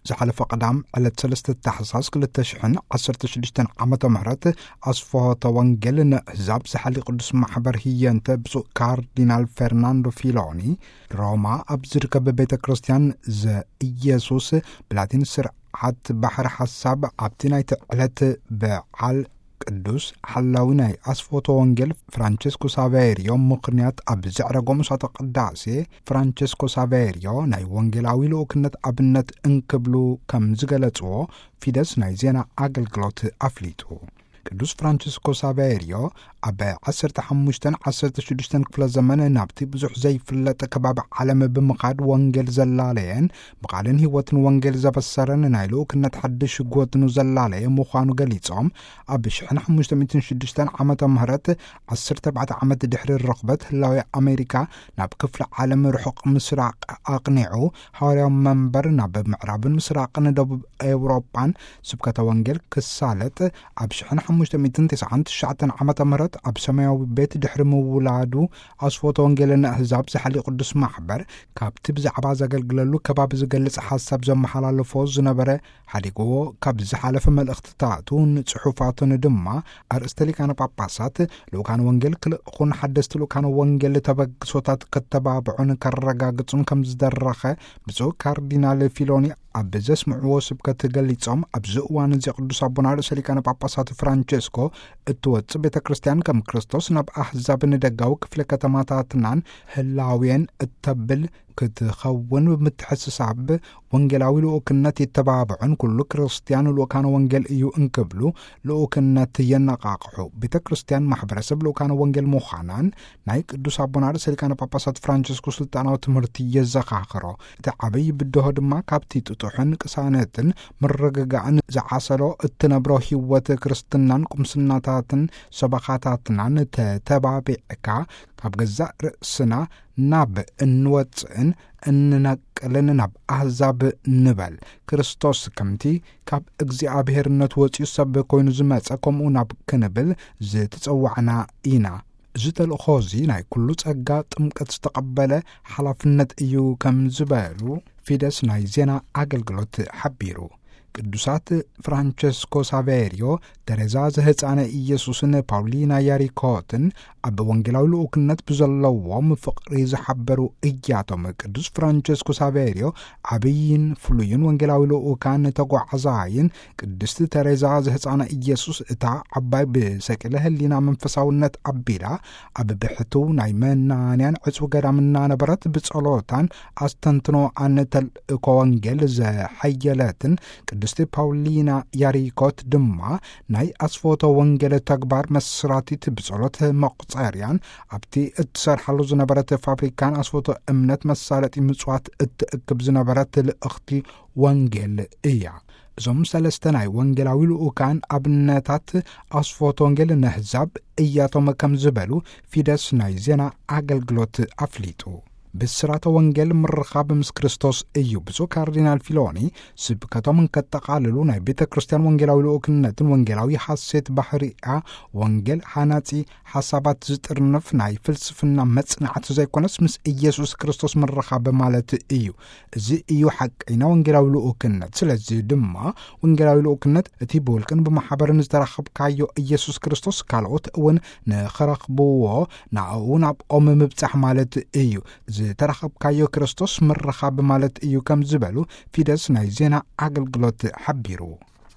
ዝሓለፈ ቀዳም ዕለት ሰለስተ ታሕሳስ ክልተ ሽሕን ዓሰርተ ሽዱሽተን ዓመተ ምህረት ኣስፍሆተ ወንጌል ንኣህዛብ ዝሓሊ ቅዱስ ማሕበር ህየንተ ብፁዕ ካርዲናል ፈርናንዶ ፊሎኒ ሮማ ኣብ ዝርከብ ቤተ ክርስቲያን ዘኢየሱስ ብላቲን ስርዓት ባሕሪ ሓሳብ ኣብቲ ናይቲ ዕለት በዓል ቅዱስ ሓላዊ ናይ ኣስፎቶ ወንጌል ፍራንቸስኮ ሳቬሪዮ ምኽንያት ኣብ ዘዕረጎ ምሳተ ቅዳሴ ፍራንቸስኮ ሳቬሪዮ ናይ ወንጌላዊ ልኡክነት ኣብነት እንክብሉ ከም ዝገለጽዎ ፊደስ ናይ ዜና ኣገልግሎት ኣፍሊጡ። ቅዱስ ፍራንቸስኮ ሳቬሪዮ ኣብ ዓሰርተ ሓሙሽተን ዓሰርተ ሽዱሽተን ክፍለ ዘመን ናብቲ ብዙሕ ዘይፍለጥ ከባቢ ዓለም ብምኻድ ወንጌል ዘላለየን ብቓልን ህይወትን ወንጌል ዘበሰረን ናይ ልኡክነት ሓድሽ ጎትኑ ዘላለየ ምዃኑ ገሊጾም፣ ኣብ ሽሕን ሓሙሽተ ሚእትን ሽዱሽተን ዓመተ ምህረት ዓሰርተ ኣርባዕተ ዓመት ድሕሪ ርኽበት ህላዊ ኣሜሪካ ናብ ክፍለ ዓለም ርሑቕ ምስራቕ ኣቕኒዑ፣ ሃዋርያዊ መንበር ናብ ምዕራብን ምስራቕን ደቡብ ኤውሮጳን ስብከተ ወንጌል ክሳለጥ ኣብ ሽሕን ሓሙሽተ ሚእትን ተስዓን ትሽዓተን ዓመተ ምህረት ኣብ ሰማያዊ ቤት ድሕሪ ምውላዱ ኣስፎተ ወንጌል ንኣህዛብ ዝሓሊ ቅዱስ ማሕበር ካብቲ ብዛዕባ ዘገልግለሉ ከባቢ ዝገልጽ ሓሳብ ዘመሓላልፎ ዝነበረ ሓዲግዎ ካብ ዝሓለፈ መልእኽትታቱን ጽሑፋቱን ድማ ኣርእስተ ሊቃነ ጳጳሳት ልኡካን ወንጌል ክልእኹን ሓደስቲ ልኡካን ወንጌል ተበግሶታት ከተባብዑን ከረጋግጹን ከም ዝደረኸ ብፁዕ ካርዲናል ፊሎኒ ኣብ ዘስምዕዎ ስብከት ገሊጾም፣ ኣብዚ እዋን እዚ ቅዱስ ኣቦና ርእሰ ሊቃነ ጳጳሳት ፍራንቸስኮ እትወጽእ ቤተ ክርስቲያን ከም ክርስቶስ ናብ ኣህዛብ ንደጋዊ ክፍለ ከተማታትናን ህላውየን እተብል ክትኸውን ብምትሕስሳብ ወንጌላዊ ልኡክነት የተባብዑን ኩሉ ክርስቲያን ልኡካን ወንጌል እዩ እንክብሉ ልኡክነት የነቓቕሑ። ቤተ ክርስቲያን ማሕበረሰብ ልኡካን ወንጌል ምዃናን ናይ ቅዱስ ኣቦና ርእሰ ሊቃነ ጳጳሳት ፍራንቸስኮ ስልጣናዊ ትምህርቲ የዘኻኽሮ። እቲ ዓብይ ብድሆ ድማ ካብቲ ጥጡሕን ቅሳነትን ምርግጋእን ዝዓሰሎ እትነብሮ ህይወት ክርስትናን ቁምስናታትን ሰበኻታትናን ተተባቢዕካ ካብ ገዛእ ርእስና ናብ እንወጽእን እንነቅልን ናብ ኣህዛብ ንበል። ክርስቶስ ከምቲ ካብ እግዚኣብሔርነት ወጺኡ ሰብ ኮይኑ ዝመጸ ከምኡ ናብ ክንብል ዝተጸዋዕና ኢና። እዚ ተልእኾ እዚ ናይ ኩሉ ጸጋ ጥምቀት ዝተቐበለ ሓላፍነት እዩ ከም ዝበሉ ፊደስ ናይ ዜና ኣገልግሎት ሓቢሩ። ቅዱሳት ፍራንቸስኮ ሳቬሪዮ፣ ተሬዛ ዘህፃነ ኢየሱስን ፓውሊና ያሪኮትን ኣብ ወንጌላዊ ልኡክነት ብዘለዎም ፍቕሪ ዝሓበሩ እያቶም። ቅዱስ ፍራንቸስኮ ሳቬሪዮ ዓብይን ፍሉይን ወንጌላዊ ልኡካን ተጓዓዛይን ቅድስቲ ተሬዛ ዘህፃነ ኢየሱስ እታ ዓባይ ብሰቂለ ህሊና መንፈሳውነት ኣቢላ ኣብ ብሕትው ናይ መናንያን ዕጹ ገዳም እናነበረት ብጸሎታን ኣስተንትኖኣን ተልእኮ ወንጌል ዘሐየለትን ቅድስቲ ፓውሊና ያሪኮት ድማ ናይ ኣስፎቶ ወንጌል ተግባር መስራቲት ብጸሎት መቁጸርያን ኣብቲ እትሰርሓሉ ዝነበረት ፋብሪካን ኣስፎቶ እምነት መሳለጢ ምጽዋት እትእክብ ዝነበረት ልእኽቲ ወንጌል እያ። እዞም ሰለስተ ናይ ወንጌላዊ ልኡካን ኣብነታት ኣስፎት ወንጌል ነህዛብ እያቶም ከም ዝበሉ ፊደስ ናይ ዜና ኣገልግሎት ኣፍሊጡ። ብስራተ ወንጌል ምርኻብ ምስ ክርስቶስ እዩ። ብፁዕ ካርዲናል ፊሎኒ ስብከቶም እንከጠቓልሉ ናይ ቤተ ክርስቲያን ወንጌላዊ ልኡክነትን ወንጌላዊ ሓሴት ባህሪኣ ወንጌል ሓናጺ ሓሳባት ዝጥርንፍ ናይ ፍልስፍና መጽናዕቲ ዘይኮነስ ምስ ኢየሱስ ክርስቶስ ምርኻብ ማለት እዩ። እዚ እዩ ሓቀይና ወንጌላዊ ልኡክነት። ስለዚ ድማ ወንጌላዊ ልኡክነት እቲ ብውልቅን ብማሕበርን ዝተረኸብካዮ ኢየሱስ ክርስቶስ ካልኦት እውን ንኸረኽብዎ ናብኡ ናብኦም ምብጻሕ ማለት እዩ። ዝተረኸብካዮ ክርስቶስ ምርኻብ ማለት እዩ ከም ዝበሉ ፊደስ ናይ ዜና ኣገልግሎት ሓቢሩ።